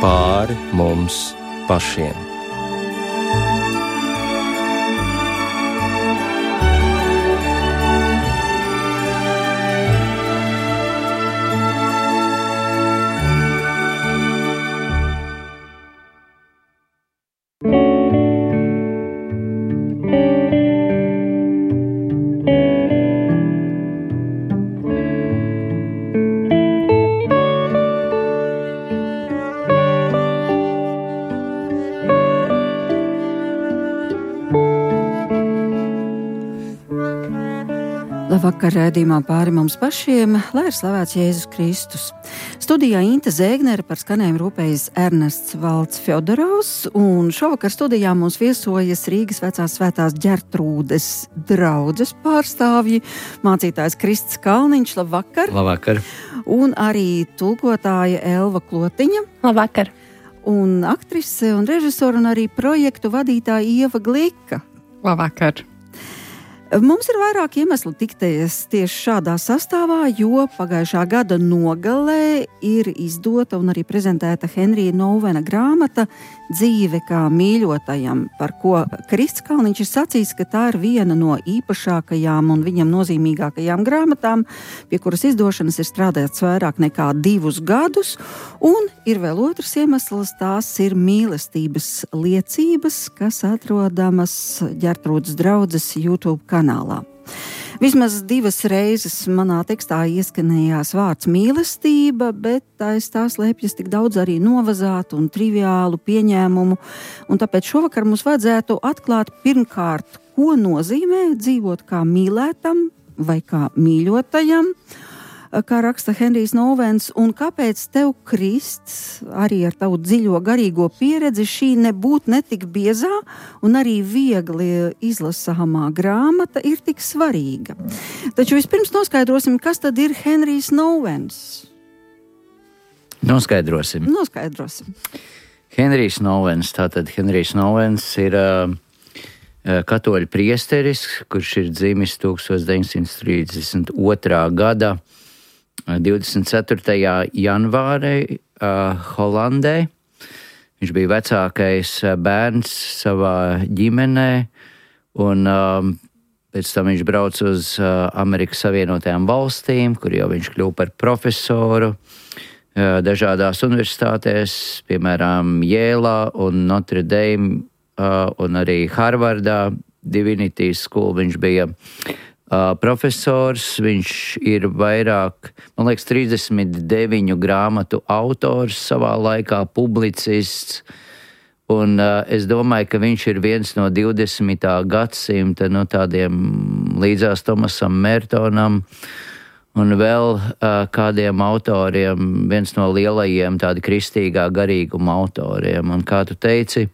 pāri mums pašiem. Labvakar, raidījumā pāri mums pašiem, lai ir slavēts Jēzus Kristus. Studijā Inte Zēgnere, par skanējumu rūpējas Ernests Valds Fjodorovs, un šovakar studijā mums viesojas Rīgas vecās svētās Ģertrūdes draudzes pārstāvji, mācītājs Krists Kalniņš, labvakar. Labvakar. Un arī tulkotāja Elva Klotiņa. Labvakar. Un aktrise un režisora un arī projektu vadītāja Ieva Glika. Labvakar. Mums ir vairāk iemeslu tikties tieši šādā sastāvā, jo pagājušā gada nogalē ir izdota un arī prezentēta Henrija Nouvena grāmata Dzīve kā mīļotajam, par ko Krists Kalniņš ir sacījis, ka tā ir viena no īpašākajām un viņam nozīmīgākajām grāmatām, pie kuras izdošanas ir strādāts vairāk nekā 2 gadus, un ir vēl otrs iemesls, tās ir mīlestības liecības, kas atrodamas Ģertrūdes draudzes YouTube kanālā. Vismaz 2 reizes manā tekstā ieskanējās vārds mīlestība, bet aiz tā slēpjas tik daudz arī novazātu un triviālu pieņēmumu, un tāpēc šovakar mums vajadzētu atklāt pirmkārt, ko nozīmē dzīvot kā mīlētam vai kā mīļotajam, kā raksta Henrijs Nouvens, un kāpēc tev, Krists, arī ar tavu dziļo garīgo pieredzi šī nebūt netik biezā un arī viegli izlasāmā grāmata ir tik svarīga. Taču vispirms noskaidrosim, kas tad ir Henrijs Nouvens. Noskaidrosim. Henrijs Nouvens, tātad Henrijs Nouvens ir katoļu priesteris, kurš ir dzimis 1932. gada 24. janvārī Holandē. Viņš bija vecākais bērns savā ģimenē, un pēc tam viņš brauca uz Amerikas Savienotajām valstīm, kur jau viņš kļuva par profesoru dažādās universitātēs, piemēram, Jēlā un Notre Dame, un arī Harvardā, Divinity School viņš bija profesors. Viņš ir vairāk, man liekas, 39 grāmatu autors savā laikā, publicists, un es domāju, ka viņš ir viens no 20. gadsimta tādiem līdzās Tomasam Mertonam un vēl kādiem autoriem, viens no lielajiem tādi kristīgā garīguma autoriem. Un kā tu teici,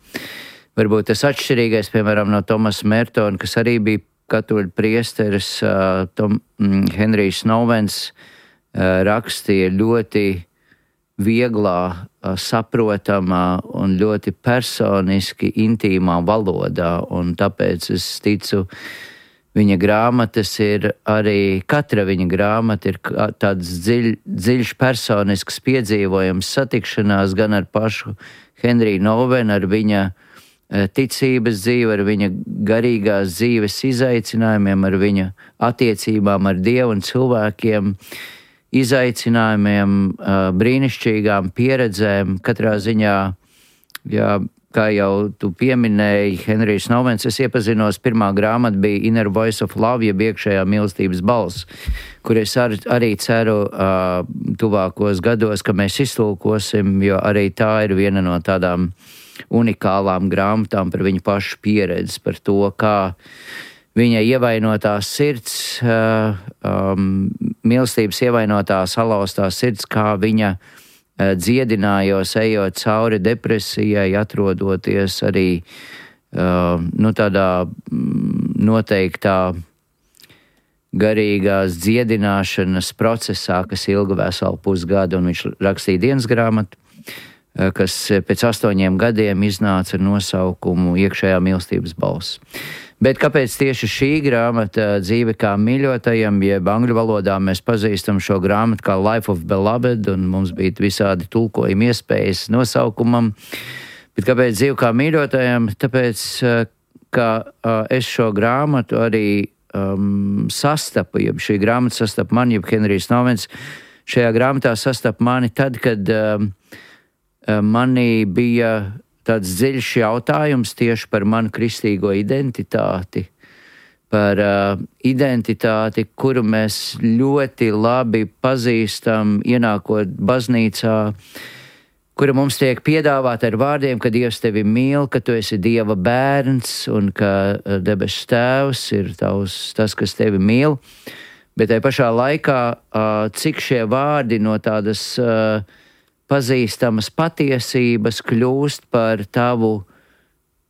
varbūt tas atšķirīgais, piemēram, no Tomasa Mertona, kas arī bija katoļu priesteris, Henrijs Nouvens rakstīja ļoti vieglā, saprotamā un ļoti personiski intīmā valodā, un tāpēc es ticu, viņa grāmatas ir arī, katra viņa grāmata ir tāds dziļš personisks piedzīvojums, satikšanās gan ar pašu Henriju Nouvenu, ar viņa ticības dzīve, ar viņa garīgās dzīves izaicinājumiem, ar viņa attiecībām ar Dievu un cilvēkiem, izaicinājumiem, brīnišķīgām pieredzēm. Katrā ziņā, jā, kā jau tu pieminēji, Henrijs Nouvens, es iepazinos, pirmā grāmata bija Inner Voice of Love, jeb iekšējā mīlestības balss, kur es arī ceru tuvākos gados, ka mēs iztulkosim, jo arī tā ir viena no tādām unikālām grāmatām par viņu pašu pieredzi, par to, kā viņa ievainotā sirds, mīlestības ievainotā salauztā sirds, kā viņa dziedinājos, ejot cauri depresijai, atrodoties arī tādā noteiktā garīgās dziedināšanas procesā, kas ilga veselu pusgadu, un viņš rakstīja dienas grāmatu, kas pēc 8 gadiem iznāca ar nosaukumu Iekšējā mīlestības balss. Bet kāpēc tieši šī grāmata Dzīve kā mīļotajam, jeb angļu valodā mēs pazīstam šo grāmatu kā Life of Beloved, un mums bija visādi tulkojumi iespējas nosaukumam. Bet kāpēc Dzīve kā mīļotajam? Tāpēc, ka es šo grāmatu arī sastapu, jeb šī grāmata sastapu mani, jeb Henrijs Novens, šajā grāmatā sastapu mani tad, kad manī bija tāds dziļš jautājums tieši par manu kristīgo identitāti, par identitāti, kuru mēs ļoti labi pazīstam, ienākot baznīcā, kura mums tiek piedāvāta ar vārdiem, ka Dievs tevi mīl, ka tu esi Dieva bērns un ka debesu Tēvs ir tas, kas tevi mīl. Bet tajā pašā laikā, cik šie vārdi no tādas pazīstamas patiesības kļūst par tavu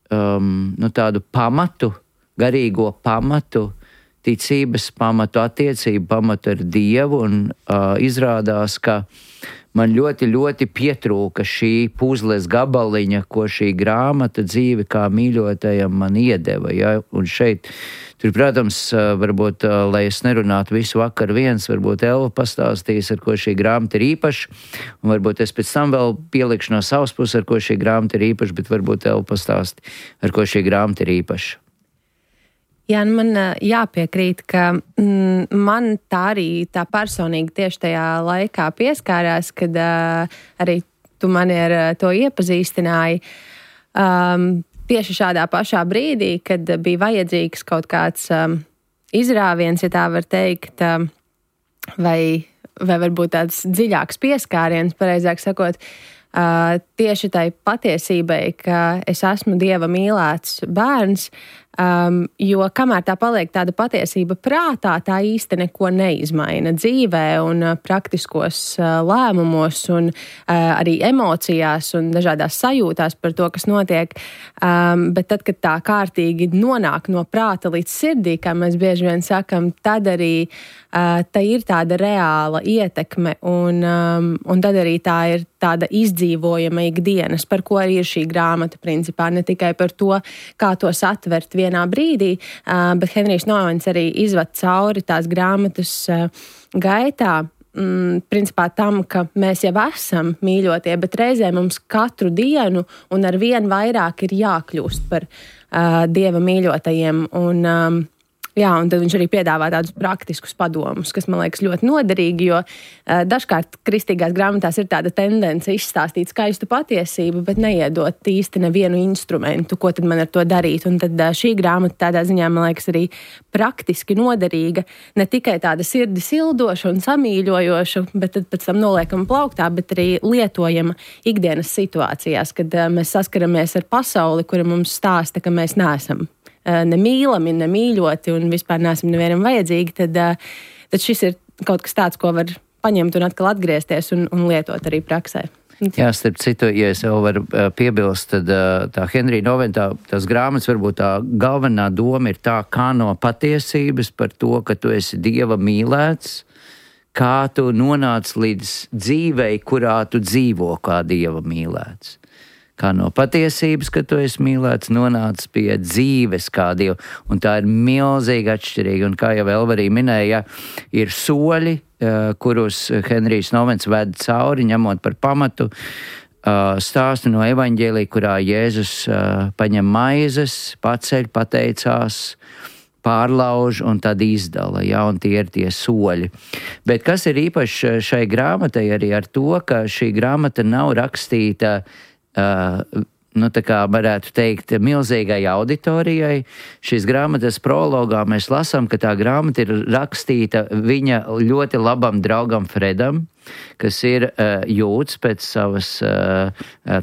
tādu pamatu, garīgo pamatu, ticības pamatu, attiecību pamatu ar Dievu, un izrādās, ka man ļoti, ļoti pietrūka šī puzles gabaliņa, ko šī grāmata Dzīve kā mīļotajam man iedeva. Ja? Un šeit, tur, protams, varbūt, lai es nerunātu visu vakaru viens, varbūt Elva pastāstīs, ar ko šī grāmata ir īpaša, un varbūt es pēc tam vēl pielikšu no savas puses, ar ko šī grāmata ir īpaša, bet varbūt Elva pastāsti, ar ko šī grāmata ir īpaša. Jā, man jāpiekrīt, ka man tā personīgi tieši tajā laikā pieskārās, kad arī tu mani ar to iepazīstināji. Tieši šādā pašā brīdī, kad bija vajadzīgs kaut kāds izrāviens, ja tā var teikt, vai varbūt tāds dziļāks pieskāriens, pareizāk sakot, tieši tai patiesībai, ka es esmu Dieva mīlēts bērns, jo kamēr tā paliek tāda patiesība prātā, tā īsti neko neizmaina dzīvē un praktiskos lēmumos un arī emocijās un dažādās sajūtās par to, kas notiek. Bet tad, kad tā kārtīgi nonāk no prāta līdz sirdī, kā mēs bieži vien sakam, tad arī tā ir tāda reāla ietekme un tad arī tā ir tāda izdzīvojama ikdienas, par ko arī ir šī grāmata principā, ne tikai par to, kā to satvert vienā brīdī, bet Henrijs Novens arī izvad cauri tās grāmatas gaitā, principā tam, ka mēs jau esam mīļotie, bet reizē mums katru dienu un ar vien vairāk ir jākļūst par Dieva mīļotajiem. Un tad viņš arī piedāvā tādus praktiskus padomus, kas man liekas ļoti noderīgi, jo dažkārt kristīgās grāmatās ir tāda tendence izstāstīt skaistu patiesību, bet neiedot īsti nevienu instrumentu, ko tad man ar to darīt. Un tad šī grāmata tādā ziņā, man liekas, arī praktiski noderīga, ne tikai tāda sirdi sildoša un samīļojoša, bet tad pēc tam noliekama plauktā, bet arī lietojama ikdienas situācijās, kad mēs saskaramies ar pasauli, kura mums stāsta, ka mēs neesam nemīlami, nemīļoti un vispār neesam nevienam vajadzīgi, tad šis ir kaut kas tāds, ko var paņemt un atkal atgriezties un lietot arī praksē. Jā, starp citu, ja es vēl varu piebilst, tad tā Henrija Novena, tās grāmatas varbūt tā galvenā doma ir tā, kā no patiesības par to, ka tu esi Dieva mīlēts, kā tu nonāc līdz dzīvei, kurā tu dzīvo kā Dieva mīlēts. Kā no patiesības, ka tu esi mīlēts, nonāc pie dzīves kā Dieva. Un tā ir milzīgi atšķirīga. Un kā jau Elva arī minēja, ir soļi, kurus Henrijs Novens ved cauri, ņemot par pamatu stāstu no evaņģēlija, kurā Jēzus paņem maizes, paceļ, pateicās, pārlauž un tad izdala, ja, un tie ir tie soļi. Bet kas ir īpaši šai grāmatai arī ar to, ka šī grāmata nav rakstīta tā kā varētu teikt, milzīgai auditorijai. Šīs grāmatas prologā mēs lasām, ka tā grāmata ir rakstīta viņa ļoti labam draugam Fredam, kas ir jūds pēc savas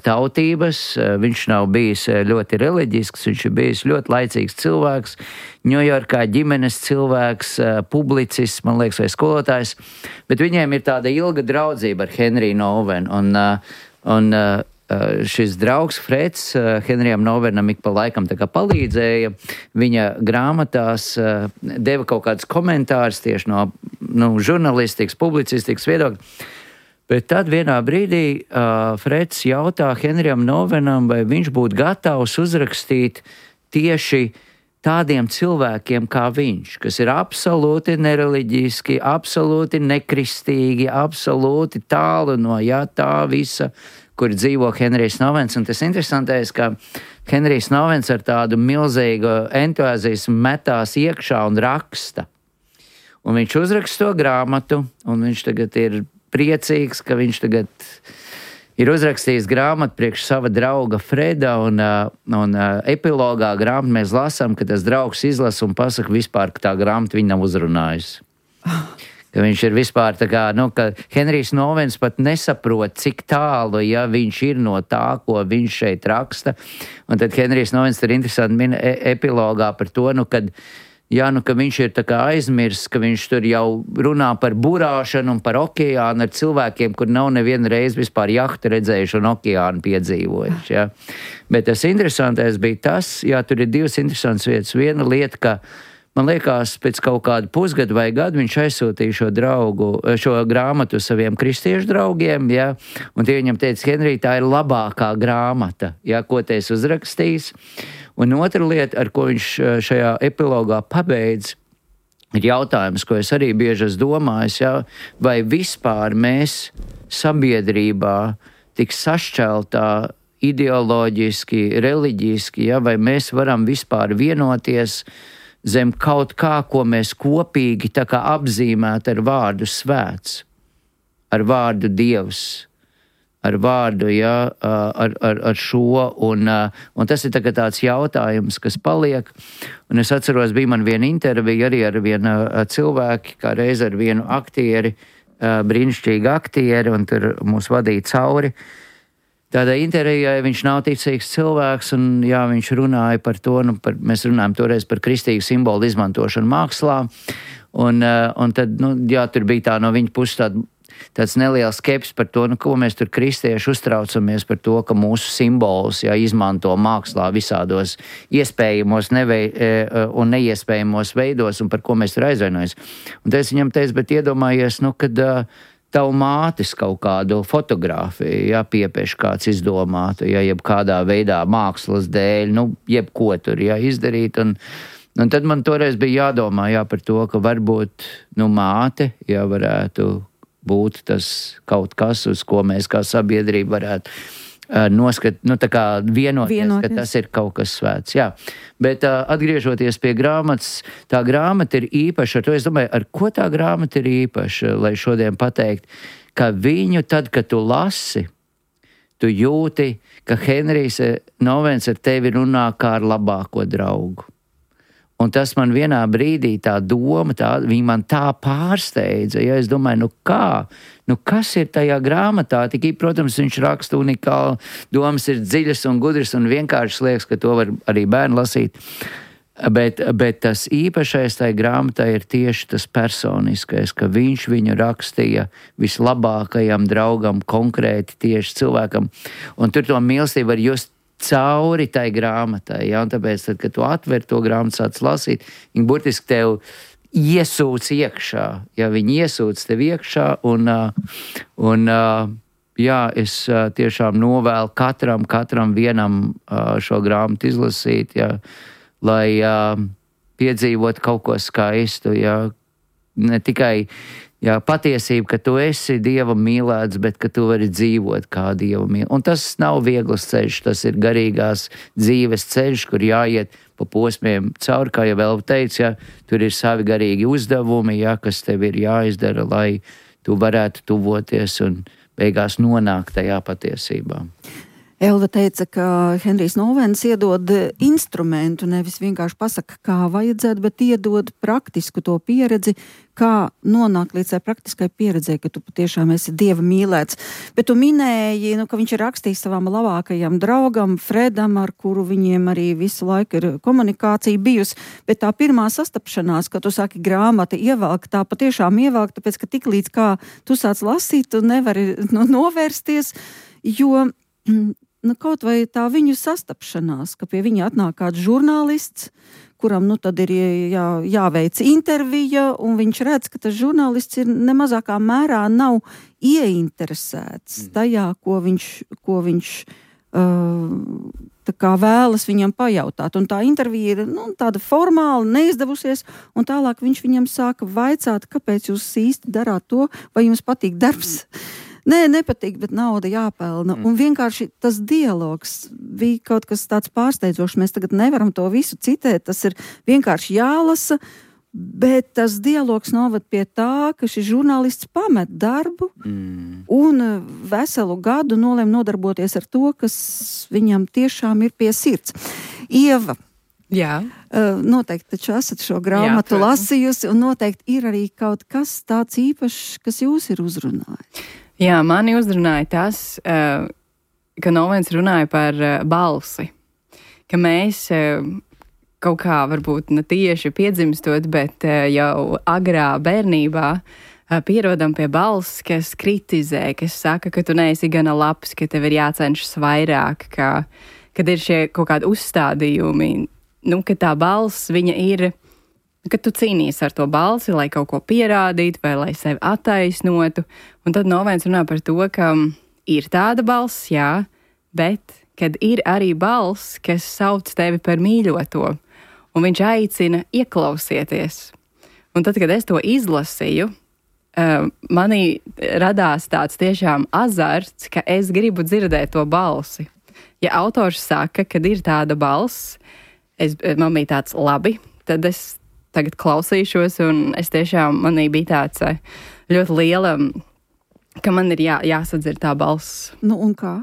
tautības. Viņš nav bijis ļoti reliģisks, viņš ir bijis ļoti laicīgs cilvēks, Ņujorkā ģimenes cilvēks, publicists, man liekas, vai skolotājs, bet viņiem ir tāda ilga draudzība ar Henriju Novenu, un šis draugs Freds Henrijam Novenam ik pa laikam tā kā palīdzēja. Viņa grāmatās deva kaut kādus komentārus tieši no žurnalistikas, publicistikas viedokļa. Bet tad vienā brīdī Freds jautā Henrijam Novenam, vai viņš būtu gatavs uzrakstīt tieši tādiem cilvēkiem kā viņš, kas ir absolūti nereliģiski, absolūti nekristīgi, absolūti tālu no tā visa, kur dzīvo Henrijs Novens. Un tas interesantais, ka Henrijs Novens ar tādu milzīgu entuziasmu metās iekšā un raksta. Un viņš uzraksta to grāmatu, un viņš tagad ir priecīgs, ka viņš tagad ir uzrakstījis grāmatu priekš sava drauga Freda, un epilogā grāmatu mēs lasām, ka tas draugs izlasa un pasaka vispār, ka tā grāmata viņu nav uzrunājusi. Ka viņš ir vispār tā kā, ka Henrijs Novens pat nesaprot, cik tālu, viņš ir no tā, ko viņš šeit raksta. Un tad Henrijs Novens ir interesanti min epilogā par to, ka viņš ir tā kā aizmirsts, ka viņš tur jau runā par burāšanu un par okeānu ar cilvēkiem, kur nav nevienu reizi vispār jahtu redzējuši un okeānu piedzīvojuši. Ja. Bet tas interesantais bija tas, tur ir divas interesantas vietas. Viena lieta, ka man liekas, pēc kaut kāda pusgada vai gada viņš aizsūtīja šo grāmatu saviem kristiešu draugiem, un tie viņam teica, Henrij, tā ir labākā grāmata, ko te esi uzrakstījis. Un otra lieta, ar ko viņš šajā epilogā pabeidz, ir jautājums, ko es arī bieži esmu domājis, vai vispār mēs sabiedrībā tik sašķeltā ideoloģiski, reliģiski, vai mēs varam vispār vienoties zem kaut kā, ko mēs kopīgi tā kā apzīmēt ar vārdu svēts, ar vārdu Dievs, ar vārdu, ar šo, un tas ir tāds jautājums, kas paliek, un es atceros, bija man viena intervija arī ar vienu cilvēku, kā reiz ar vienu aktieri, brīnišķīgu aktieri, un tur mūs vadīja cauri. Tādā intervijā viņš nav ticīgs cilvēks, un viņš runāja par to, mēs runājam toreiz par kristīgu simbolu izmantošanu mākslā, un tad, tur bija tā no viņa puses tāds neliels skepsis par to, ko mēs tur kristieši uztraucamies par to, ka mūsu simbols izmanto mākslā visādos iespējamos un neiespējamos veidos, un par ko mēs tur aizvainojamies. Un tad es viņam teicu, bet iedomājies, kad tavu mātes kaut kādu fotogrāfiju, piepieši kāds izdomātu, jeb kādā veidā mākslas dēļ, jebko tur izdarīt, un tad man toreiz bija jādomā par to, ka varbūt, māte, varētu būt tas kaut kas, uz ko mēs kā sabiedrība varētu vienoties, ka tas ir kaut kas svēts. Jā. Bet atgriežoties pie grāmatas, tā grāmata ir īpaša. Ar to es domāju, ar ko tā grāmata ir īpaša, lai šodien pateikt, ka viņu tad, kad tu lasi, tu jūti, ka Henrijs Novens ar tevi runā kā ar labāko draugu. Un tas man vienā brīdī tā doma, viņa man tā pārsteidza, es domāju, kas ir tajā grāmatā? Tikai, protams, viņš raksta unikāli, domas ir dziļas un gudras un vienkārši liekas, ka to var arī bērni lasīt. Bet tas īpašais tajā grāmatā ir tieši tas personiskais, ka viņš viņu rakstīja vislabākajam draugam, konkrēti tieši cilvēkam. Un tur to mīlestību var just cauri tai grāmatai, un tāpēc, tad, kad tu atver to grāmatu, sāc lasīt, viņi burtiski tev iesūc iekšā, viņi iesūc tev iekšā, un es tiešām novēlu katram vienam šo grāmatu izlasīt, lai piedzīvot kaut ko skaistu, ne tikai patiesība, ka tu esi Dieva mīlēts, bet ka tu vari dzīvot kā Dieva mīlēts. Un tas nav viegls ceļš, tas ir garīgās dzīves ceļš, kur jāiet pa posmiem cauri, kā jau vēl teicu, tur ir savi garīgi uzdevumi, kas tev ir jāizdara, lai tu varētu tuvoties un beigās nonākt tajā patiesībā. Elda teica, ka Henrijs Novens iedod instrumentu, nevis vienkārši pasaka, kā vajadzētu, bet iedod praktisku to pieredzi, kā nonākt līdz tai praktiskai pieredzē, ka tu patiešām esi Dieva mīlēts. Bet tu minēji, ka viņš ir rakstījis savam labākajam draugam, Fredam, ar kuru viņiem arī visu laiku ir komunikācija bijusi. Bet tā pirmā sastapšanās, kad tu saki grāmata ievelk, tā patiešām ievelk, tāpēc, ka tik līdz kā tu sāc lasīt, tu nevari novērsties, jo kaut vai tā viņu sastapšanās, ka pie viņa atnāk kāds žurnālists, kuram tad ir jāveic intervija, un viņš redz, ka tas žurnālists ir nemazākā mērā nav ieinteresēts tajā, ko viņš tā kā vēlas viņam pajautāt. Un tā intervija ir tāda formāla, neizdevusies, un tālāk viņš viņam sāka vaicāt, kāpēc jūs īsti darāt to, vai jums patīk darbs. Nē, nepatīk, bet nauda jāpelna. Un vienkārši tas dialogs bija kaut kas tāds pārsteidzošs. Mēs tagad nevaram to visu citēt, tas ir vienkārši jālasa, bet tas dialogs novad pie tā, ka šis žurnālists pamet darbu un veselu gadu nolēma nodarboties ar to, kas viņam tiešām ir pie sirds. Ieva, Jā. Noteikti taču esat šo grāmatu lasījusi, un noteikti ir arī kaut kas tāds īpašs, kas jūs ir uzrunājis. Jā, mani uzrunāja tas, ka Novens runāja par balsi, ka mēs kaut kā varbūt ne tieši piedzimstot, bet jau agrā bērnībā pierodam pie balss, kas kritizē, kas saka, ka tu neesi gana labs, ka tev ir jācenšas vairāk, kad ir šie kaut kādi uzstādījumi, ka tā balss, viņa ir, ka tu cīnīsi ar to balsi, lai kaut ko pierādītu vai lai sevi attaisnotu. Un tad Novens runā par to, ka ir tāda balss, jā, bet kad ir arī balss, kas sauc tevi par mīļoto. Un viņš aicina ieklausieties. Un tad, kad es to izlasīju, manī radās tāds tiešām azarts, ka es gribu dzirdēt to balsi. Ja autors saka, kad ir tāda balss, man bija tāds labi, tad es tagad klausīšos, un es tiešām, manī bija tāds ļoti liela, ka man ir jāsadzird tā balss. Un kā?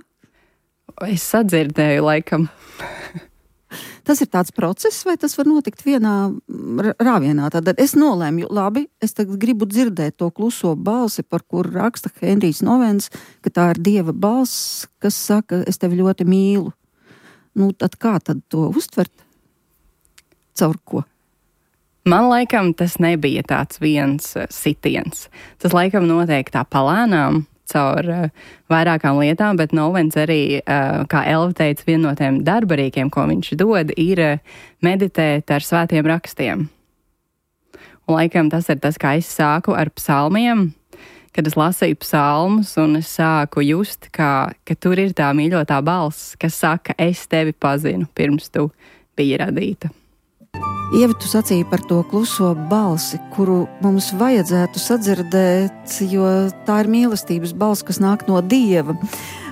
Es sadzirdēju, laikam. Tas ir tāds process, vai tas var notikt vienā rāvienā? Tad es nolēmu, labi, es tagad gribu dzirdēt to kluso balsi, par kuru raksta Henrijs Novens, ka tā ir Dieva balss, kas saka, es tevi ļoti mīlu. Tad kā tad to uztvert? Caur ko? Man laikam tas nebija tāds viens sitiens. Tas laikam notiek tā palēnām, caur vairākām lietām, bet Novens arī, kā Elva teica, viena no tiem darbarīkiem, ko viņš dod, ir meditēt ar svētiem rakstiem. Un laikam tas ir tas, kā es sāku ar psalmiem, kad es lasīju psalmus, un es sāku just, ka tur ir tā mīļotā balss, kas saka, es tevi pazinu, pirms tu biji radīta. Ieva, tu sacīji par to kluso balsi, kuru mums vajadzētu sadzirdēt, jo tā ir mīlestības balss, kas nāk no Dieva.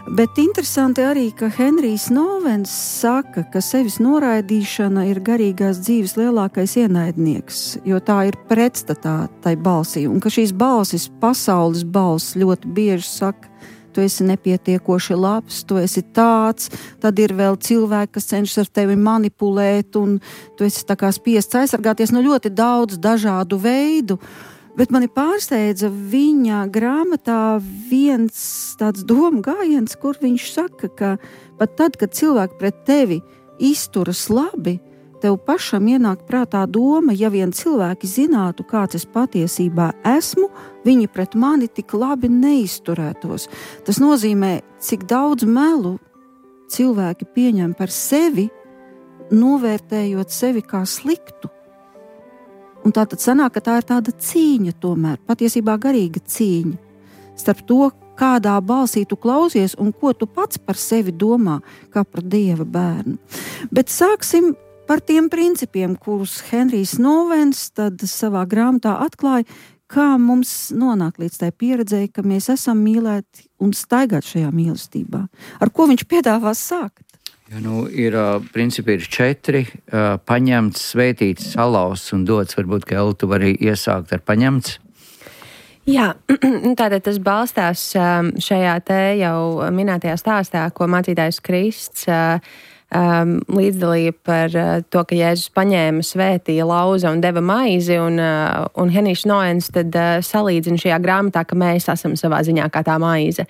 Bet interesanti arī, ka Henrijs Novens saka, ka sevis noraidīšana ir garīgās dzīves lielākais ienaidnieks, jo tā ir pretstatā tai balsī, un ka šīs balsis, pasaules balss, ļoti bieži saka, tu esi nepietiekoši labs, tu esi tāds, tad ir vēl cilvēki, kas cenšas ar tevi manipulēt, un tu esi tā kā spiests aizsargāties no ļoti daudz dažādu veidu. Bet mani pārsteidza viņa grāmatā viens tāds domu gājiens, kur viņš saka, ka pat tad, kad cilvēki pret tevi izturas labi, tev pašam ienāk prātā doma, ja vien cilvēki zinātu, kāds es patiesībā esmu, viņi pret mani tik labi neizturētos. Tas nozīmē, cik daudz melu cilvēki pieņem par sevi, novērtējot sevi kā sliktu. Un tā tad sanāk, ka tā ir tāda cīņa tomēr, patiesībā garīga cīņa, starp to, kādā balsī tu klausies un ko tu pats par sevi domā, kā par Dieva bērnu. Bet sāksim par tiem principiem, kurus Henrijs Novens tad savā grāmatā atklāja, kā mums nonāk līdz tai pieredzēji, ka mēs esam mīlēti un staigāt šajā mīlestībā. Ar ko viņš piedāvās sākt? Ja, principi ir 4, paņemts, svētīts, salauzts un dots. Varbūt, ka Elva, tu vari iesākt ar paņemts. Jā, tātad tas balstās šajā te jau minētajā stāstā, ko mācītājs Krists līdzdalīja par to, ka Jēzus paņēma, svētīja, lauza un deva maizi, un Henrijs Novens tad salīdzina šajā grāmatā, ka mēs esam savā ziņā kā tā maize.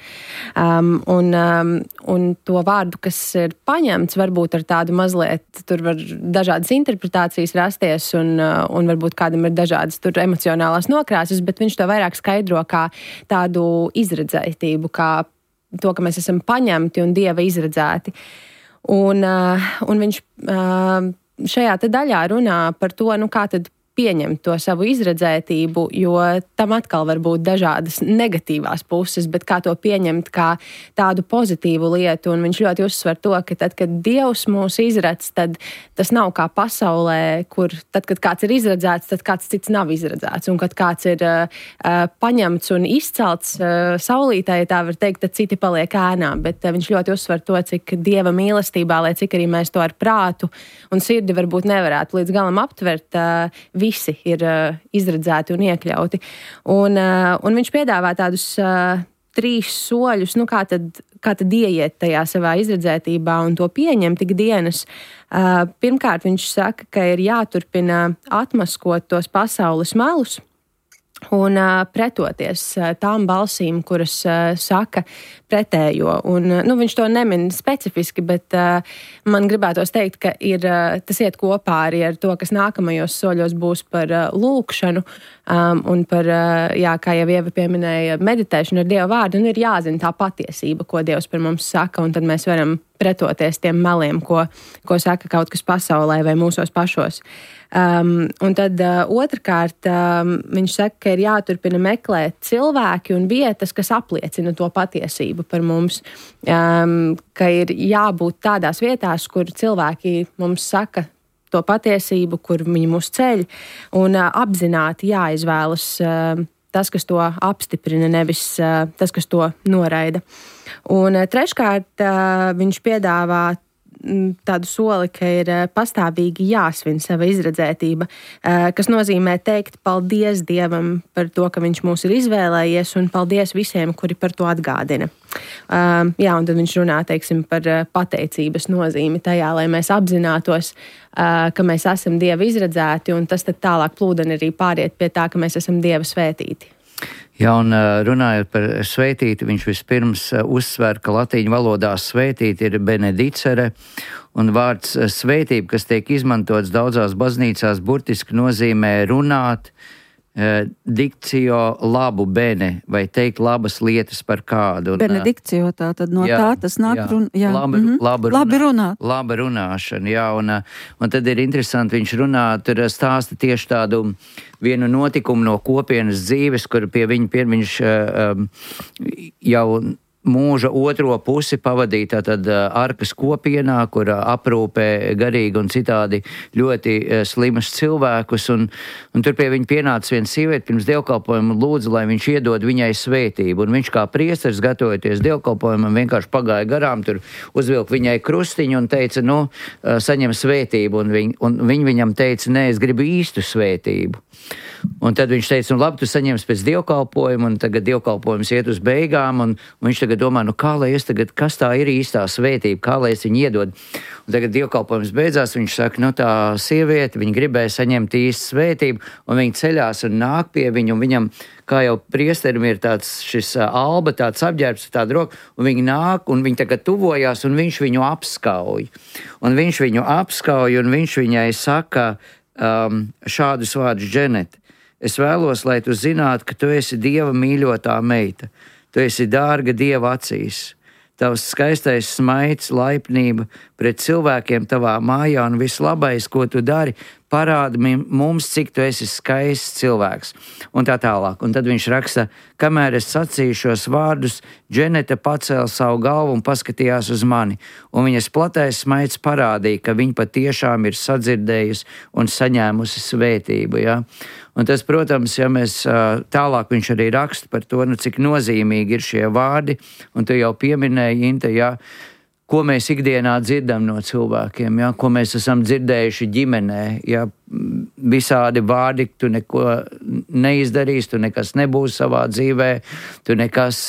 Un to vārdu, kas ir paņemts, varbūt ar tādu mazliet, tur var dažādas interpretācijas rasties, un varbūt kādam ir dažādas tur emocionālās nokrāsas, bet viņš to vairāk skaidro kā tādu izredzētību, kā to, ka mēs esam paņemti un Dieva izredzēti. Un viņš šajā te daļā runā par to, kā tad pieņemt to savu izredzētību, jo tam atkal var būt dažādas negatīvās puses, bet kā to pieņemt kā tādu pozitīvu lietu. Un viņš ļoti uzsver to, ka tad, kad Dievs mūs izredz, tad tas nav kā pasaulē, kur tad, kad kāds ir izredzēts, tad kāds cits nav izredzēts. Un kad kāds ir paņemts un izcelts saulītē, ja tā var teikt, tad citi paliek ēnā. Bet viņš ļoti uzsver to, cik Dieva mīlestībā, lai cik arī mēs to ar prātu un sirdi varbūt nevarētu līdz galam aptvert, visi ir izredzēti un iekļauti. Un viņš piedāvā tādus 3 soļus, kā tad ieiet tajā savā izredzētībā un to pieņemt ikdienas. Pirmkārt, viņš saka, ka ir jāturpina atmaskot tos pasaules melus un pretoties tām balsīm, kuras saka pretējo. Un, viņš to nemin specifiski, bet man gribētos teikt, ka tas iet kopā arī ar to, kas nākamajos soļos būs par lūkšanu un par, kā jau Ieva pieminēja, meditēšanu ar Dieva vārdu, un ir jāzina tā patiesība, ko Dievs par mums saka, un tad mēs varam pretoties tiem meliem, ko saka kaut kas pasaulē vai mūsos pašos. Un tad otrkārt viņš saka, ka ir jāturpina meklēt cilvēki un vietas, kas apliecina to patiesību par mums, ka ir jābūt tādās vietās, kur cilvēki mums saka to patiesību, kur viņi mūs ceļ, un apzināti jāizvēlas tas, kas to apstiprina, nevis tas, kas to noraida. Un treškārt viņš piedāvā tādu soli, ka ir pastāvīgi jāsvin sava izredzētība, kas nozīmē teikt paldies Dievam par to, ka viņš mūs ir izvēlējies, un paldies visiem, kuri par to atgādina. Un tad viņš runā, teiksim, par pateicības nozīmi tajā, lai mēs apzinātos, ka mēs esam Dieva izredzēti, un tas tad tālāk plūdeni arī pāriet pie tā, ka mēs esam Dieva svētīti. Jā, un runājot par svētīti, viņš vispirms uzsver, ka latīņu valodā svētīti ir benedicere, un vārds svētība, kas tiek izmantots daudzās baznīcās, burtiski nozīmē runāt, dikcio labu bene, vai teikt labas lietas par kādu. Benedikcio, tā tad no tā tas nāk labi runāt. Laba runāšana, jā, un tad ir interesanti, viņš runā, tur stāsta tieši tādu vienu notikumu no kopienas dzīves, kur pie viņš jau mūža otro pusi pavadīja tātad Arkas kopienā, kur aprūpē garīgi un citādi ļoti slimus cilvēkus, un tur pie viņa pienāca viena sieviete pirms dievkalpojuma un lūdza, lai viņš iedod viņai svētību, un viņš kā priesteris, gatavoties dievkalpojumam, vienkārši pagāja garām, tur uzvilka viņai krustiņu un teica, saņem svētību, un viņa viņam teica, nē, es gribu īstu svētību. Un tad viņš teica, labi, tu saņemsi pēc dievkalpojuma, un tagad dievkalpojums iet uz beigām, un viņš tagad domā, kā lai es tagad, kas tā ir īstā svētība, kā lai es viņu iedod. Un tagad dievkalpojums beidzās, viņš saka, tā sieviete, viņa gribēja saņemt īstu svētību, un viņa ceļās un nāk pie viņu, un viņam, kā jau priesterim ir tāds šis alba, tāds apģērbs, tāda roka, un viņi nāk, un viņi tagad tuvojās, un viņš viņu apskauj. Un viņš viņai saka šādus vārdus, Dženet, es vēlos, lai tu zinātu, ka tu esi Dieva mīļotā meita. Tu esi dārga Dieva acīs. Tavs skaistais smaids, laipnība pret cilvēkiem tavā mājā un vislabais, ko tu dari, parāda mums, cik tu esi skaists cilvēks. Un tā tālāk. Un tad viņš raksta, kamēr es sacīju šos vārdus, Dženeta pacēla savu galvu un paskatījās uz mani. Un viņas platais smaids parādīja, ka viņa patiešām ir sadzirdējusi un saņēmusi svētību. Ja? Un tas, protams, ja mēs tālāk viņš arī raksta par to, cik nozīmīgi ir šie vārdi, un tu jau pieminēji, Inte, ja, ko mēs ikdienā dzirdam no cilvēkiem, ja, ko mēs esam dzirdējuši ģimenē, ja, visādi vārdi, tu neko neizdarīsi, tu nekas nebūs savā dzīvē, tu nekas,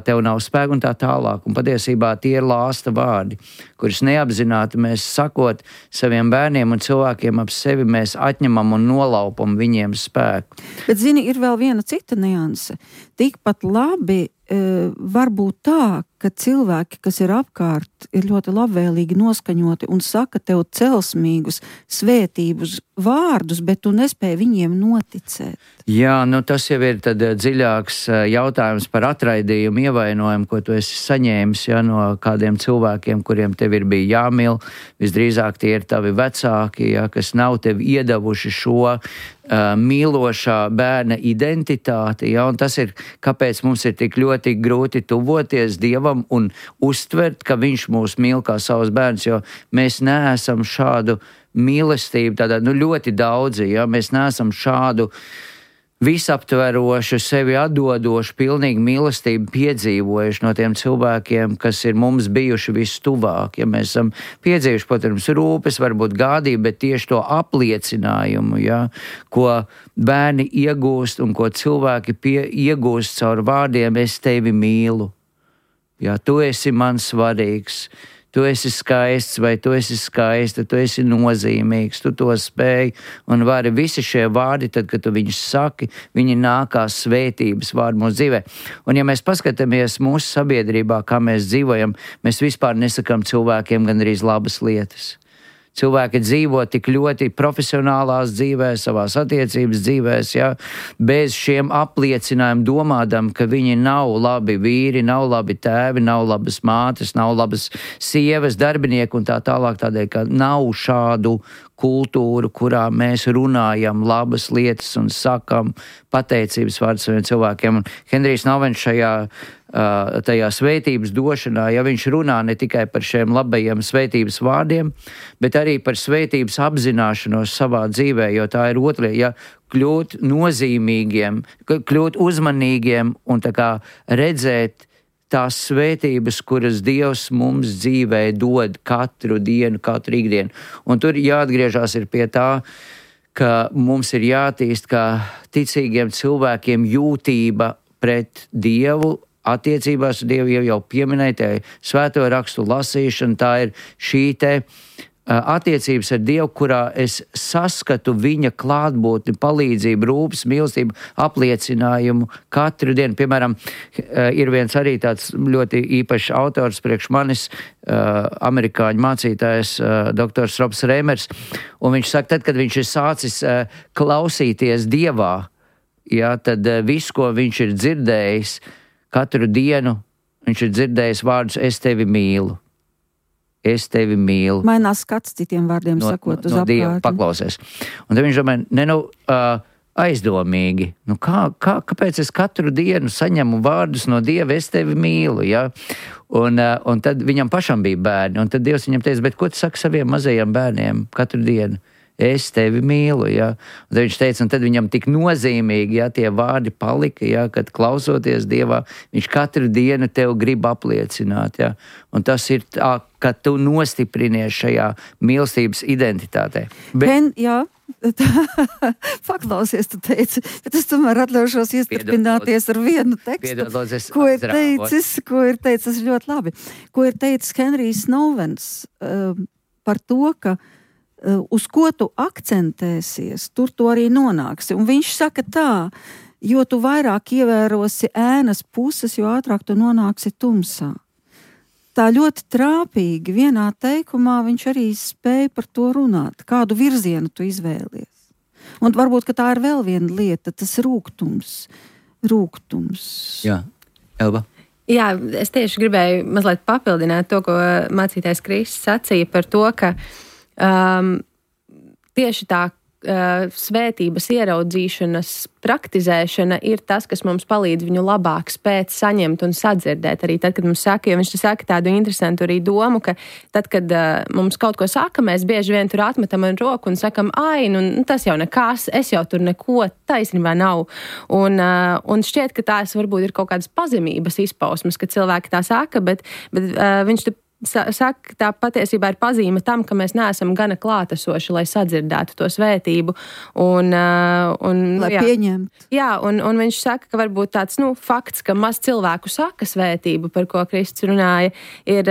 tev nav spēka un tā tālāk. Un patiesībā tie ir lāsta vārdi, kurus neapzināti mēs sakot saviem bērniem un cilvēkiem ap sevi, mēs atņemam un nolaupam viņiem spēku. Bet, zini, ir vēl viena cita nianse. Tikpat labi var būt tā, ka cilvēki, kas ir apkārt, ir ļoti labvēlīgi noskaņoti un saka tev celsmīgus, svētību svētības vārdus, bet tu nespēji viņiem noticēt. Jā, tas jau ir tad dziļāks jautājums par atraidījumu, ievainojumu, ko tu esi saņēmis no kādiem cilvēkiem, kuriem tev ir bija jāmīl. Visdrīzāk tie ir tavi vecāki, kas nav tev iedavuši šo mīlošā bērna identitāti, un tas ir, kāpēc mums ir tik ļoti grūti tuvoties Dievam un uztvert, ka viņš mūs mīl kā savus bērnus, jo mēs neesam šādu mīlestību, tādā, ļoti daudzi, mēs neesam šādu visaptverošu, sevi atdodošu, pilnīgi mīlestību piedzīvojuši no tiem cilvēkiem, kas ir mums bijuši vistuvāk. Ja mēs esam piedzīvojuši, protams, rūpes, varbūt gādību, bet tieši to apliecinājumu, ko bērni iegūst un ko cilvēki iegūst caur vārdiem, es tevi mīlu. Tu esi man svarīgs. Tu esi skaists vai tu esi skaista, tu esi nozīmīgs, tu to spēj un vari visi šie vārdi, tad, kad tu viņus saki, viņi nākās svētības vārdi mūsu dzīvē. Un ja mēs paskatāmies mūsu sabiedrībā, kā mēs dzīvojam, mēs vispār nesakām cilvēkiem gandrīz labas lietas. Cilvēki dzīvo tik ļoti profesionālās dzīvēs, savās attiecības dzīvēs, bez šiem apliecinājumiem domādam, ka viņi nav labi vīri, nav labi tēvi, nav labas mātes, nav labas sievas, darbinieki un tā tālāk, tādēļ, ka nav šādu kultūru, kurā mēs runājam labas lietas un sakam pateicības vārdus saviem cilvēkiem. Un Henrijs Novens tajā svētības došanā, viņš runā ne tikai par šiem labajiem svētības vārdiem, bet arī par svētības apzināšanos savā dzīvē, jo tā ir otra lieta, kļūt nozīmīgiem, kļūt uzmanīgiem un tā kā redzēt tās svētības, kuras Dievs mums dzīvē dod katru dienu, katru ikdienu. Un tur jāatgriežās ir pie tā, ka mums ir jātīst kā ticīgiem cilvēkiem jūtība pret Dievu, attiecībās ar Dievu jau pieminēja, svēto rakstu lasīšana, tā ir šī te attiecības ar Dievu, kurā es saskatu viņa klātbūtni, palīdzību, rūpes, mīlestību, apliecinājumu katru dienu. Piemēram, ir viens arī tāds ļoti īpašs autors priekš manis, amerikāņu mācītājs, doktors Robs Rēmers, un viņš saka, tad, kad viņš ir sācis klausīties Dievā, tad viss, ko viņš ir dzirdējis, katru dienu viņš ir dzirdējis vārdus, es tevi mīlu. Es tevi mīlu. Mainās skats citiem vārdiem sakot uz apkārtni. Dieva paklausies. Un tad viņš domāja, aizdomīgi. Kāpēc es katru dienu saņemu vārdus no Dieva, es tevi mīlu, Un tad viņam pašam bija bērni. Un tad Dievs viņam teica, bet ko tu saki saviem mazajiem bērniem katru dienu? Es tevi mīlu, Un tad viņš teica, un tad viņam tik nozīmīgi, tie vārdi palika, kad klausoties Dievā, viņš katru dienu tev grib apliecināt, Un tas ir tā, ka tu nostiprinies šajā mīlestības identitātē. Paklausies, tu teici, bet es tomēr atļaušos iestrpināties ar vienu tekstu, ko ir teicis ļoti labi, ko ir teicis Henrijs Novens par to, ka uz ko tu akcentēsies, tur tu arī nonāksi. Un viņš saka tā, jo tu vairāk ievērosi ēnas puses, jo ātrāk tu nonāksi tumsā. Tā ļoti trāpīgi vienā teikumā viņš arī spēja par to runāt, kādu virzienu tu izvēlies. Un varbūt, ka tā ir vēl viena lieta, tas rūgtums. Jā, Elba. Jā, es tieši gribēju mazliet papildināt to, ko mācītājs Kristis sacīja par to, ka tieši tā svētības ieraudzīšanas praktizēšana ir tas, kas mums palīdz viņu labāk spēt saņemt un sadzirdēt. Arī tad, kad mums saka, jo viņš saka tādu interesantu arī domu, ka tad, kad mums kaut ko saka, mēs bieži vien tur atmetam ar roku un sakam, tas jau nekas, es jau tur neko taisnībā nav. Un šķiet, ka tās varbūt ir kaut kādas pazemības izpausmes, ka cilvēki tā saka, bet viņš saka, tā patiesībā ir pazīme tam, ka mēs neesam gana klātesoši, lai sadzirdētu to svētību. Lai pieņemtu. Jā, un viņš saka, ka varbūt tāds fakts, ka maz cilvēku saka svētību, par ko Kristus runāja, ir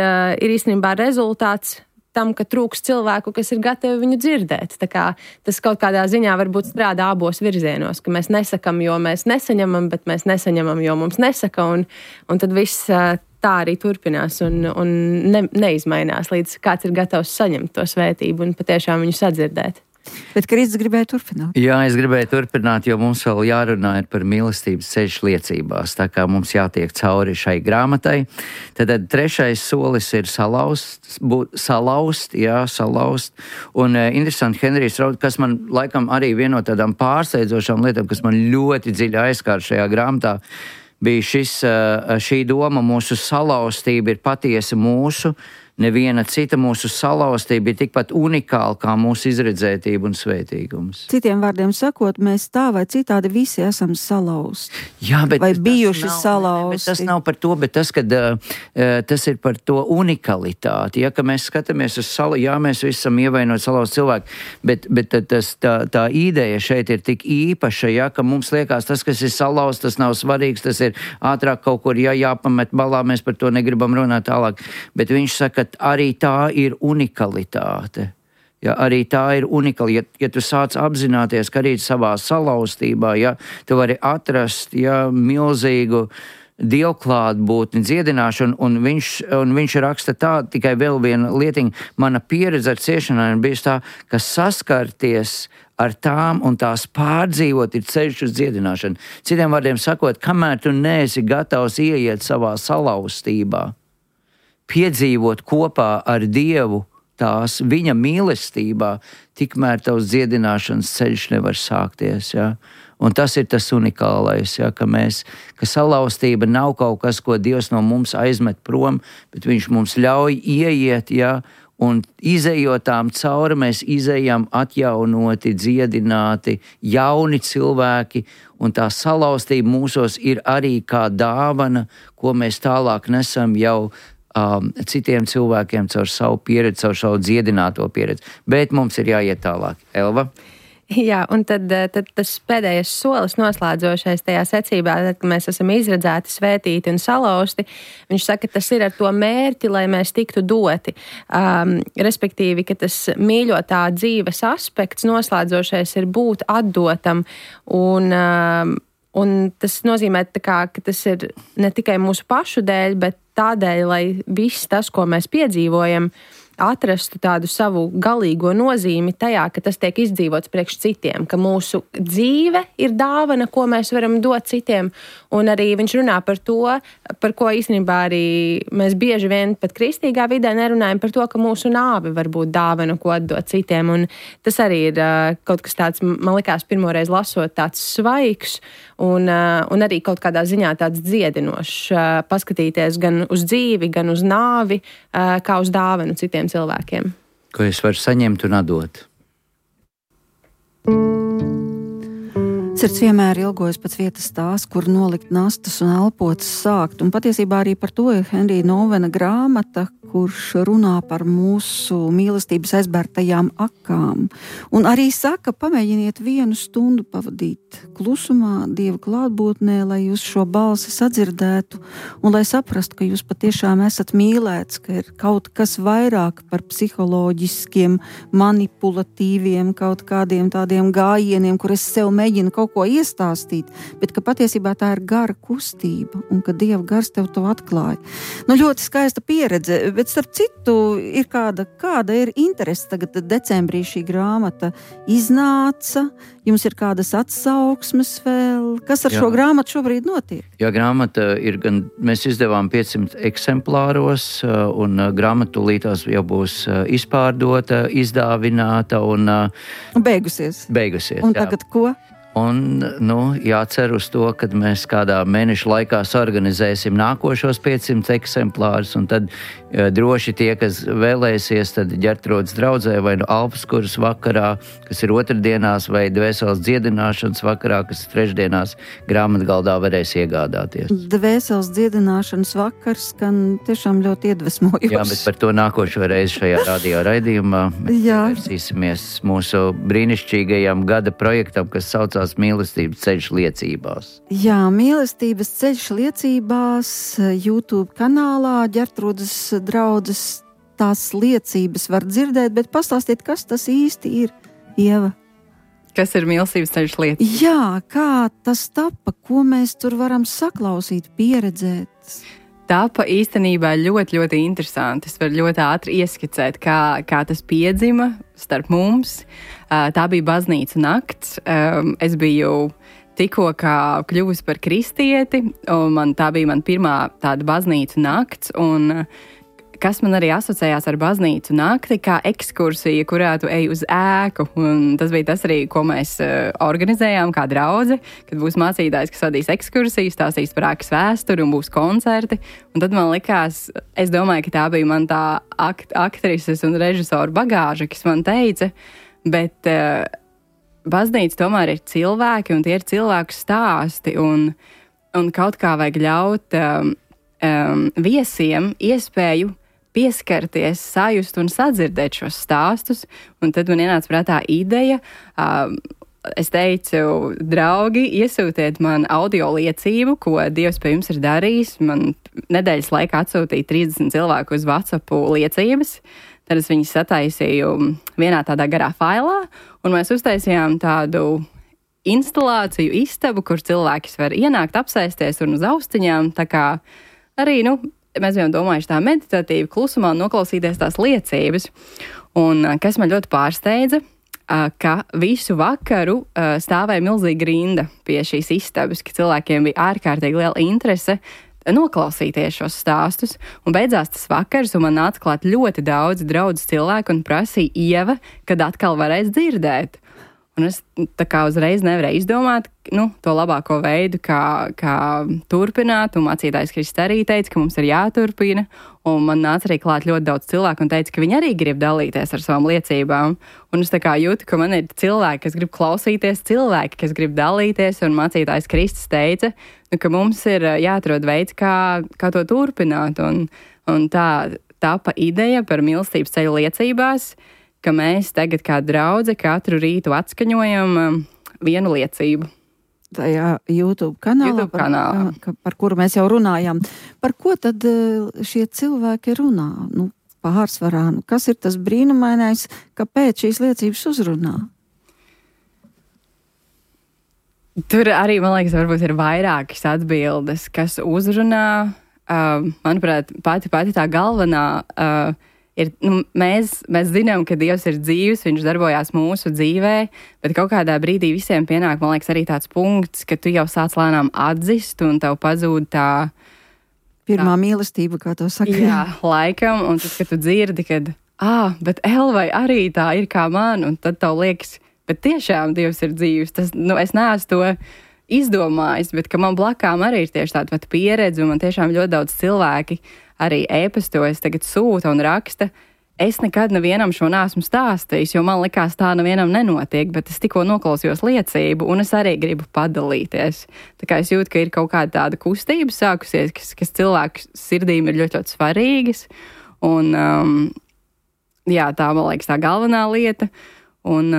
īstenībā rezultāts tam, ka trūks cilvēku, kas ir gatavi viņu dzirdēt. Tā kā tas kaut kādā ziņā varbūt strādā abos virzienos, ka mēs nesakam, jo mēs nesaņemam, bet mēs nesaņemam, jo mums nesaka, un tad viss tā arī turpinās un neizmainās, līdz kāds ir gatavs saņemt to svētību un patiešām viņu sadzirdēt. Bet Kristis gribēja turpināt. Jā, es gribēju turpināt, jo mums vēl jārunā par mīlestības ceļš liecībās, tā kā mums jātiek cauri šai grāmatai. Tad 3. solis ir salauzt. Un interesanti, Henrijs Raud, kas man laikam arī viena no tādām pārsteidzošām lietām, kas man ļoti dziļi aizskāra šajā grāmatā, bija šī doma, mūsu salauztība ir patiesi mūsu. Neviena cita mūsu salauztība ir tikpat unikāla kā mūsu izredzētība un svētīgums. Citiem vārdiem sakot, mēs tā vai citādi visi esam salauzti. Jā, bet vai bijuši salauzti. Tas nav par to, bet tas ir par to unikalitāti. Ja, ka mēs skatāmies uz jā, mēs visi esam ievainoti salauzti cilvēki, bet tā ideja šeit ir tik īpaša, ja, ka mums liekas tas, kas ir salauzts, tas nav svarīgs, tas ir ātrāk kaut kur jāpamet balā, mēs par to negribam runāt tālāk. Bet viņš saka, arī tā ir unikalitāte. Ja, arī tā ir unikāla. Ja tu sāc apzināties, ka arī savā salauztībā, ja, tu vari atrast milzīgu dievklātbūtni, dziedināšanu, un viņš raksta tā, tikai vēl viena lietiņa. Mana pieredze ar ciešanām ir bijusi tā, ka saskarties ar tām un tās pārdzīvot ir ceļš uz dziedināšanu. Citiem vārdiem sakot, kamēr tu neesi gatavs ieiet savā salauztībā, piedzīvot kopā ar Dievu tās viņa mīlestībā, tikmēr tavs dziedināšanas ceļš nevar sākties. Ja? Un tas ir tas unikālais, ja? ka salauztība nav kaut kas, ko Dievs no mums aizmet prom, bet viņš mums ļauj ieiet, ja? Un izejot tām cauri, mēs izejam atjaunoti, dziedināti, jauni cilvēki, un tā salauztība mūsos ir arī kā dāvana, ko mēs tālāk nesam jau citiem cilvēkiem caur savu pieredzi, caur savu dziedināto pieredzi. Bet mums ir jāiet tālāk. Elva? Jā, un tad tas pēdējais solis noslēdzošais tajā secībā, tad, kad mēs esam izredzēti, svētīti un salauzti, viņš saka, ka tas ir ar to mērķi, lai mēs tiktu doti. Respektīvi, ka tas mīļotā dzīves aspekts noslēdzošais ir būt atdotam un tas nozīmē, ka tas ir ne tikai mūsu pašu dēļ, bet tādēļ, lai viss tas, ko mēs piedzīvojam, atrastu tādu savu galīgo nozīmi tajā, ka tas tiek izdzīvots priekš citiem, ka mūsu dzīve ir dāvana, ko mēs varam dot citiem, un arī viņš runā par to, par ko īstenībā arī mēs bieži vien pat kristīgā vidē nerunājam par to, ka mūsu nāve var būt dāvana, ko atdot citiem, un tas arī ir kaut kas tāds, man likās pirmoreiz lasot, tāds svaigs, un arī kaut kādā ziņā tāds dziedinošs, paskatīties gan uz dzīvi, gan uz nāvi, kā uz dāvanu citiem cilvēkiem. Ko es varu saņemt un atdot? Sirds vienmēr ilgojas pēc vietas tās, kur nolikt nastas un elpotas sākt. Un patiesībā arī par to ir Henrija Novena grāmata, kurš runā par mūsu mīlestības aizbērtajām akām. Un arī saka, pamēģiniet 1 stundu pavadīt klusumā, Dieva klātbūtnē, lai jūs šo balsi sadzirdētu un lai saprastu, ka jūs patiešām esat mīlēts, ka ir kaut kas vairāk par psiholoģiskiem, manipulatīviem, kaut kādiem tādiem gājieniem, kur es sev mēģinu kaut ko iestāstīt, bet ka patiesībā tā ir gara kustība un ka Dieva gars tev to atklāja. Nu, ļoti skaista pieredze, bet starp citu ir kāda ir interese. Tagad decembrī šī grāmata iznāca, jums ir kādas atsauksmes vēl. Kas ar šo grāmatu šobrīd notiek? Jā, grāmata ir gan, mēs izdevām 500 eksemplāros, un grāmata tūlītās jau būs izpārdota, izdāvināta un beigusies. Un tagad ko? Un, jācer uz to, kad mēs kādā mēneša laikā organizēsim nākošos 500 eksemplārus, un tad droši tie, kas vēlēsies, tad Ģertrūdes draudzē vai Alpskuras vakarā, kas ir otrdienās, vai Dvēseles dziedināšanas vakarā, kas ir trešdienās, grāmatgaldā varēs iegādāties. Dvēseles dziedināšanas vakars skan tiešām ļoti iedvesmojoši. Jā, bet par to nākošo reizi šajā radio raidījumā mēs pievērsīsimies mūsu brīnišķīgajam gada projektam, kas saucās Mīlestības ceļš liecībās. Jā, Mīlestības ceļš liecībās YouTube kanālā Ģertrūdes draudzes tās liecības var dzirdēt, bet pastāstiet, kas tas īsti ir, Ieva? Kas ir Mīlestības ceļš liecības? Jā, kā tas tapa, ko mēs tur varam saklausīt, pieredzēt? Tapa īstenībā ļoti, ļoti interesanti. Es varu ļoti ātri ieskicēt, kā tas piedzima starp mums. Tā bija baznīcu nakts. Es biju tikko kļuvusi par kristieti, un tā bija man pirmā tāda baznīcu nakts. Un kas man arī asociējās ar baznīcu nakti, kā ekskursija, kurā tu ej uz ēku. Un tas bija tas arī, ko mēs organizējām kā draudze, kad būs mācītājs, kas vadīs ekskursiju, stāstīs par ēkas vēsturi un būs koncerti. Un tad man likās, es domāju, ka tā bija man tā aktrises un režisoru bagāža, kas man teica, bet baznīca tomēr ir cilvēki, un tie ir cilvēku stāsti, un kaut kā vajag ļaut viesiem iespēju pieskarties, sajust un sadzirdēt šos stāstus, un tad man ienāca prātā ideja. Es teicu, draugi, iesūtiet man audio liecību, ko Dievs pie jums ir darījis. Man nedēļas laikā atsūtīja 30 cilvēku uz WhatsApp liecības. Tad es viņus sataisīju vienā tādā garā failā, un mēs uztaisījām tādu instalāciju, istabu, kur cilvēks var ienākt, apsēsties un uz austiņām. Tā kā arī, mēs bijām domājuši tā meditatīvi, klusumā noklausīties tās liecības. Un kas man ļoti pārsteidza, ka visu vakaru stāvēja milzīga rinda pie šīs istabas, ka cilvēkiem bija ārkārtīgi liela interese noklausīties šos stāstus. Un beidzās tas vakars, un man nāca klāt ļoti daudz draudzes cilvēku un prasīja Ieva, kad atkal varēs dzirdēt. Un es tā kā uzreiz nevarēju izdomāt to labāko veidu, kā turpināt. Un mācītājs Kristis arī teica, ka mums ir jāturpina. Un man nāca arī klāt ļoti daudz cilvēku un teica, ka viņi arī grib dalīties ar savām liecībām. Un es tā kā jūtu, ka man ir cilvēki, kas grib klausīties, cilvēki, kas grib dalīties. Un mācītājs Kristis teica, ka mums ir jāatrod veids, kā to turpināt. Un tā tapa ideja par mīlestības ceļu liecībās, ka mēs tagad kā draudze katru rītu atskaņojam vienu liecību. Tajā YouTube kanālā, par kuru mēs jau runājām. Par ko tad šie cilvēki runā? Pārsvarā, kas ir tas brīnumainais, kāpēc šīs liecības uzrunā? Tur arī, man liekas, varbūt ir vairākas atbildes, kas uzrunā. Manuprāt, pati tā galvenā ir, mēs zinām, ka Dievs ir dzīvs, viņš darbojās mūsu dzīvē, bet kaut kādā brīdī visiem pienāk, man liekas, arī tāds punkts, ka tu jau sāc lēnām atzist un tev pazūd tā pirmā mīlestība, kā to saka. Jā, laikam, un tad, kad tu dzirdi, kad, bet Elvai arī tā ir kā man, un tad tev liekas, bet tiešām Dievs ir dzīvs. Tas, es neesmu to izdomājis, bet ka man blakām arī ir tieši tāda pat pieredze, un man tiešām ļoti daudz cilvēki arī ēpastos tagad sūta un raksta. Es nekad nevienam šo neesmu stāstījis, jo man likās tā nevienam nenotiek, bet es tikko noklausījos liecību, un es arī gribu padalīties. Tā kā es jūtu, ka ir kaut kāda tāda kustība sākusies, kas cilvēku sirdīm ir ļoti, ļoti svarīgas, un tā, man liekas, tā galvenā lieta, un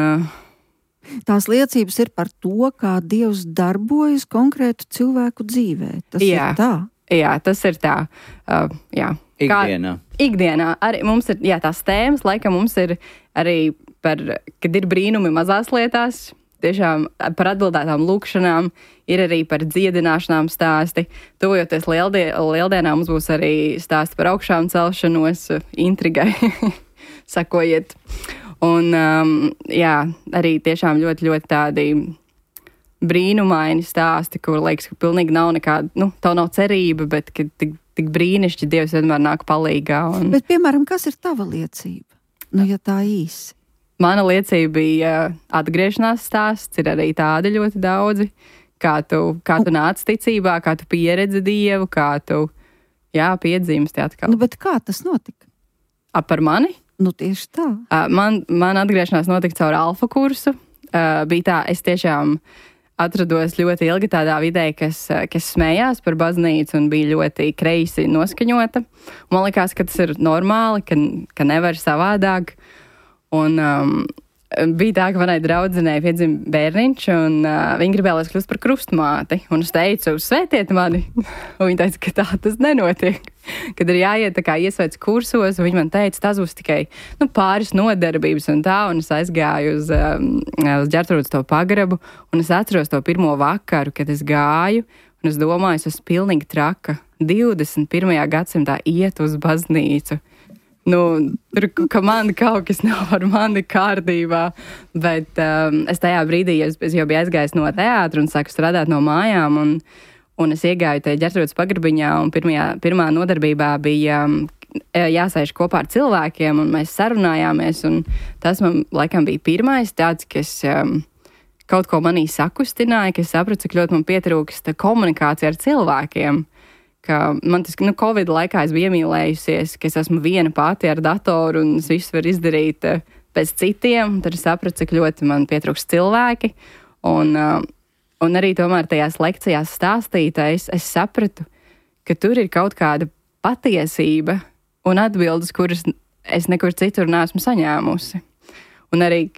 tās liecības ir par to, kā Dievs darbojas konkrētu cilvēku dzīvē. Tas ir tā. Jā, tas ir tā. Ikdienā. Arī mums ir tās tēmas, laikam mums ir arī kad ir brīnumi mazās lietās, tiešām par atbildētām lūkšanām, ir arī par dziedināšanām stāsti. Tuvojoties lieldienām, mums būs arī stāsti par augšām celšanos, intrigai, sakojiet. Un arī tiešām ļoti, ļoti tādi brīnumaini stāsti, kur liekas, ka pilnīgi nav nekāda, tev nav cerība, bet ka tik brīnišķi Dievs vienmēr nāk palīgā. Bet, piemēram, kas ir tava liecība? Ja tā īsi. Mana liecība bija atgriešanās stāsts, ir arī tādi ļoti daudzi, kā tu nāc ticībā, kā tu pieredzi Dievu, kā tu, piedzimsti atkal. Bet kā tas notika? Par mani? Tieši tā. Man atgriešanās notika caur alfa kursu. Bija tā, es tiešām atrados ļoti ilgi tādā vidē, kas smējās par baznīcu un bija ļoti kreisi noskaņota. Man likās, ka tas ir normāli, ka nevar savādāk. Un bija tā, ka manai draudzenei piedzima bērniņš, un viņa gribēja, lai es kļūstu par krustmāti. Un es teicu, svētiet mani. Un viņa teica, ka tā tas nenotiek. Kad ir jāiet tā kā iesvēts kursos, un viņa man teica, tas būs tikai pāris nodarbības un tā. Un es aizgāju uz Ģertrūdas to pagrabu, un es atceros to pirmo vakaru, kad es gāju, un es domāju, es esmu pilnīgi traka. 21. gadsimtā iet uz baznīcu. Tur, ka man kaut kas nav ar mani kārtībā, bet es tajā brīdī, es jau biju aizgājis no teātra un sāku strādāt no mājām, un es iegāju te Ģertrūdes pagrabiņā, un pirmā nodarbībā bija jāsēž kopā ar cilvēkiem, un mēs sarunājāmies, un tas man laikam bija pirmais tāds, kas kaut ko manī sakustināja, ka es sapratu, cik ļoti man pietrūkst komunikācija ar cilvēkiem. Ka man tas, Covid laikā es biju iemīlējusies, ka es esmu viena pati ar datoru un es visu varu izdarīt pēc citiem, tad es sapratu, cik ļoti man pietrūkst cilvēki. Un arī tomēr tajās lekcijās stāstītais, es sapratu, ka tur ir kaut kāda patiesība un atbildes, kuras es nekur citur neesmu saņēmusi. Un arī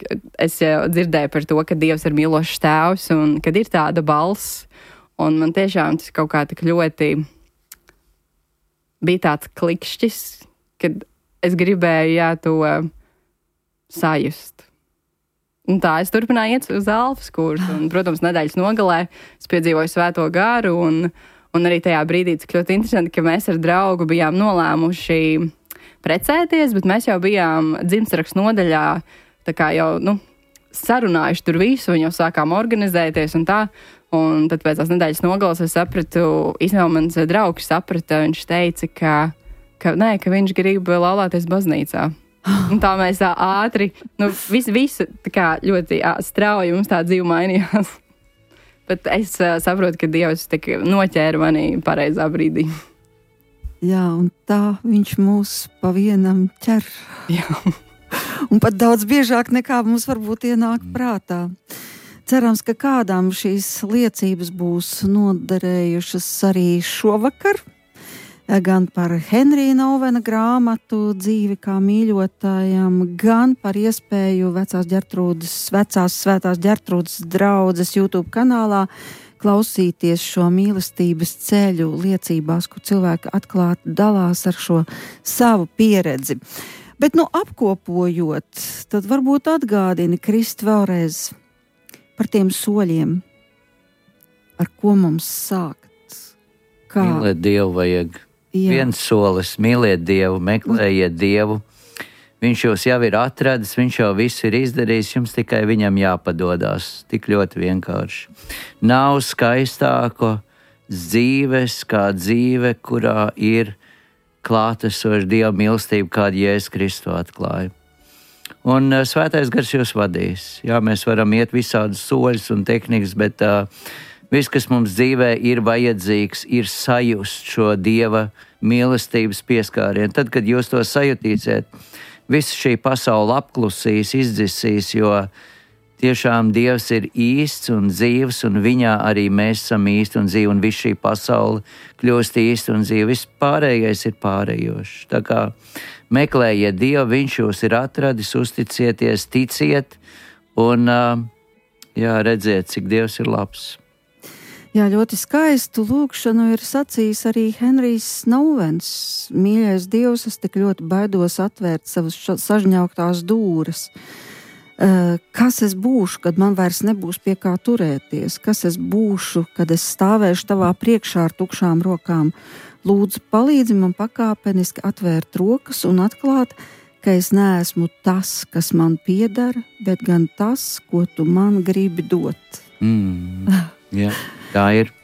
es dzirdēju par to, ka Dievs ir mīlošs tēvs un kad ir tāda balss. Un man tiešām tas kaut kā tik ļoti bija tāds klikšķis, kad es gribēju, to sajust. Un tā es turpināju iet uz alfas kursu, un, protams, nedēļas nogalē es piedzīvoju svēto garu, un arī tajā brīdī, cik ļoti interesanti, ka mēs ar draugu bijām nolēmuši precēties, bet mēs jau bijām dzimstrakstu nodaļā, tā kā jau, sarunājuši tur visu, un jau sākām organizēties un tā. Un tad pēc tās nedēļas nogalas es sapratu, īstenībā mans draugs saprata, viņš teica, ka viņš grib laulāties baznīcā. Un tā mēs tā ātri, visu tā kā ļoti strauji mums tā dzīve mainījās. Bet es saprotu, ka Dievs tik noķēra mani pareizā brīdī. Jā, un tā viņš mūs pa vienam ķer. Jā. Un pat daudz biežāk nekā mums varbūt ienāk prātā. Cerams, ka kādām šīs liecības būs noderējušas arī šovakar, gan par Henrija Novena grāmatu Dzīvi kā mīļotājam, gan par iespēju vecās svētās Ģertrūdes draudzes YouTube kanālā klausīties šo mīlestības ceļu liecībās, kur cilvēki atklāti dalās ar šo savu pieredzi. Bet, apkopojot, tad varbūt atgādini, Krist, vēlreiz par tiem soļiem, ar ko mums sākt. Kā? Mīlēt Dievu vajag. Jā. Viens solis, mīliet Dievu, meklējiet Dievu. Viņš jūs jau ir atradis, viņš jau visu ir izdarījis, jums tikai viņam jāpadodās. Tik ļoti vienkārši. Nav skaistāko dzīves kā dzīve, kurā ir klātesoša Dieva mīlestība, kādu Jēzus Kristu atklāja. Un svētais gars jūs vadīs. Jā, mēs varam iet visādus soļus un tehnikas, bet viss, kas mums dzīvē ir vajadzīgs, ir sajust šo Dieva mīlestības pieskārienu. Tad, kad jūs to sajutīsiet, visa šī pasaule apklusīs, izdzisīs, jo tiešām Dievs ir īsts un dzīvs, un viņā arī mēs esam īsti un dzīvi, un viss šī pasaule kļūst īsti un dzīvi. Viss pārējais ir pārējošs. Tā kā meklējiet Dievu, viņš jūs ir atradis, uzticieties, ticiet un redziet, cik Dievs ir labs. Jā, ļoti skaistu lūgšanu ir sacījis arī Henrijs Novens. Mīļais Dievs, es tik ļoti baidos atvērt savas sažņauktās dūres. Kas es būšu, kad man vairs nebūs pie kā turēties? Kas es būšu, kad es stāvēšu tavā priekšā ar tukšām rokām? Lūdzu, palīdzi man pakāpeniski atvērt rokas un atklāt, ka es neesmu tas, kas man pieder, bet gan tas, ko tu man gribi dot. Jā, tā ir.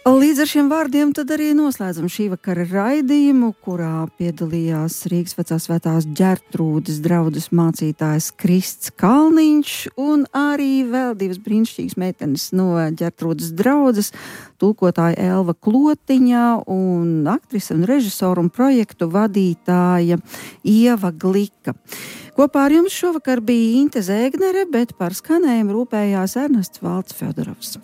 Līdz ar šiem vārdiem tad arī noslēdzam šī vakara raidījumu, kurā piedalījās Rīgas vecās svētās Ģertrūdes draudzes mācītājs Krists Kalniņš un arī vēl divas brīnišķīgas meitenes no Ģertrūdes draudzes, tulkotāja Elva Klotiņa un aktrise un režisora un projektu vadītāja Ieva Glika. Kopā ar jums šovakar bija Inte Zēgnere, bet par skanējumu rūpējās Ernests Valds Fjodorovs.